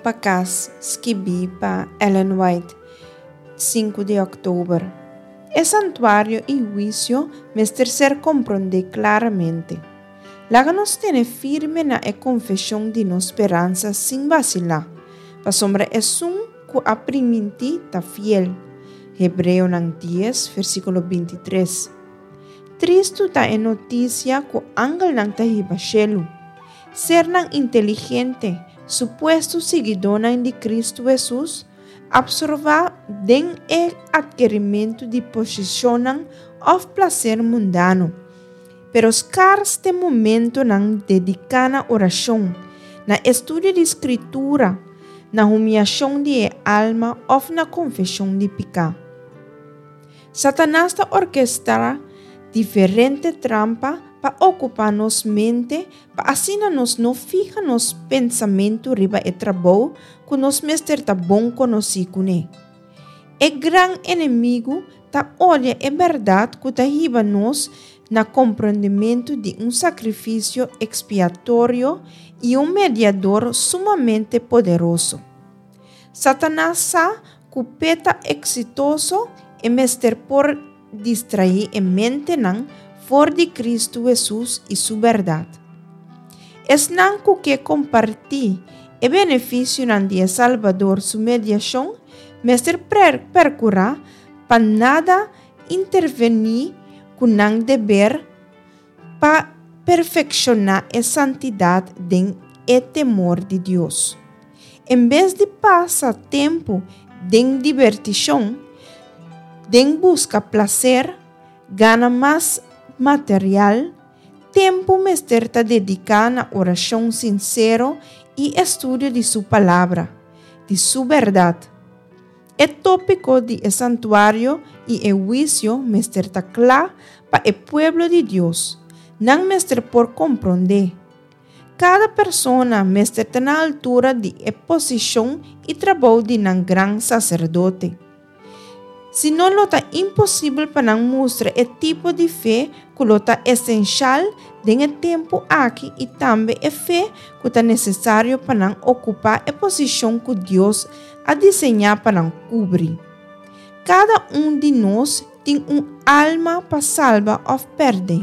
pa Kas, skibí pa Ellen White, sinku di òktober. E santuario i huisio mester ser komprondé klaramente. Laga nos tene firme na e konfeshon di nos speransa sin basilá, pasobra esun ku a primintí ta fiel. Hebreonan dies, versíkulo bintitres. Tristu ta e notisia ku angelnan ta hiba shelu. Sernan inteligente, supuesto siguidónan di Kristu Hesus, apsorbá den e atkerimentu di posishonnan òf plaser mundano. Pero skars te momentonan dediká na orashon, na estudio di Skritura, na humiashon di e alma òf na konfeshon di piká. Satanas ta orkestrá diferente trampa pa okupá nos mente pa asina nos no fiha nos pensamentu riba e trabou ku nos mester ta bon konosí kuné. E gran enemigu ta odia e bèrdat ku ta hiba nos na komprondementu di un sakrifisio ekspiatorio i un mediador sumamente poderoso. Satanas sa ku p'e ta eksitoso e mester por distraí e mentenan for di Kristu Hesus i su bèrdat. Esnan ku ke kompartí e benefisionan di e Salbador su mediashon mester perkurá pa nada intervení ku nan deber pa perfekshoná e santidat den e temor di Dios. En bes di pasa tempu den dibertishon, den buska plaser, gana mas material, tempu mester ta dediká na orashon sinsero i estudio di su Palabra, di su bèrdat. E tópiko di e santuario i e huisio mester ta kla pa e pueblo di Dios. Nan mester por komprondé. Kada persona mester ta na altura di e posishon i trabou di nan gran saserdote. Si no lo ta imposibel pa nan mustra e tipo di fe ku lo ta esenshal den e tempu aki i tambe e fe ku ta nesesario pa nan okupá e posishon ku Dios a diseñá pa nan kubri. Kada un di nos tin un alma pa salba òf pèrdè.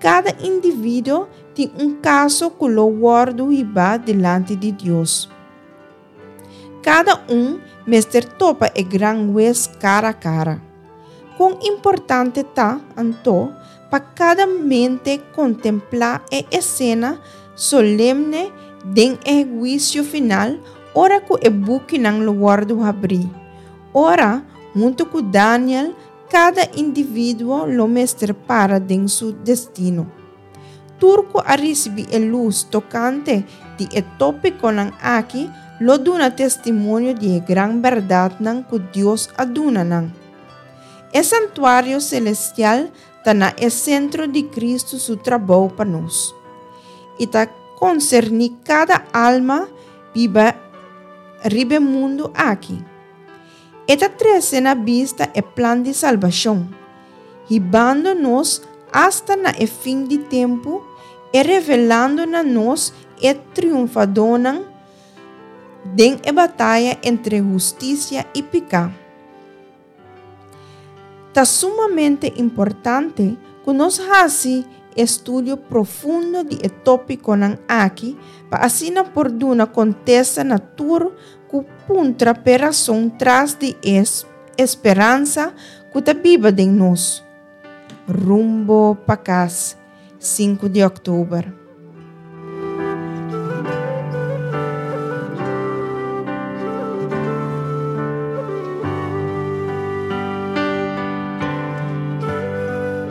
Kada individuo tin un kaso ku lo wòrdu hibá dilanti di Dios. Kada un mester topa e Gran Hues kara kara. Kon importante ta, anto, pa kada mente kontemplá e esena solemne den e huisio final ora ku e bukinan lo wòrdu habrí, ora, huntu ku Daniel, kada individuo lo mester para den su destino. Tur ku a risibí e lus tokante di e tópikonan aki lo duna testimonio di e gran bèrdatnan ku Dios a duna nan. E santuario selestial ta na e sentro di Kristu su trabou pa nos, i ta konserní kada alma biba riba e mundu aki. E ta trese na bista e plan di salbashon, hibando nos asta na e fin di tempu e revelando na nos e triunfadónan den e bataya entre hustisia i piká. Ta sumamente importante ku nos hasi estudio profundo di e tópikonan aki pa asina por duna kontesta na tur ku puntra p'e rason tras di e speransa ku ta biba den nos. Rumbo pa kas, sinku di òktober.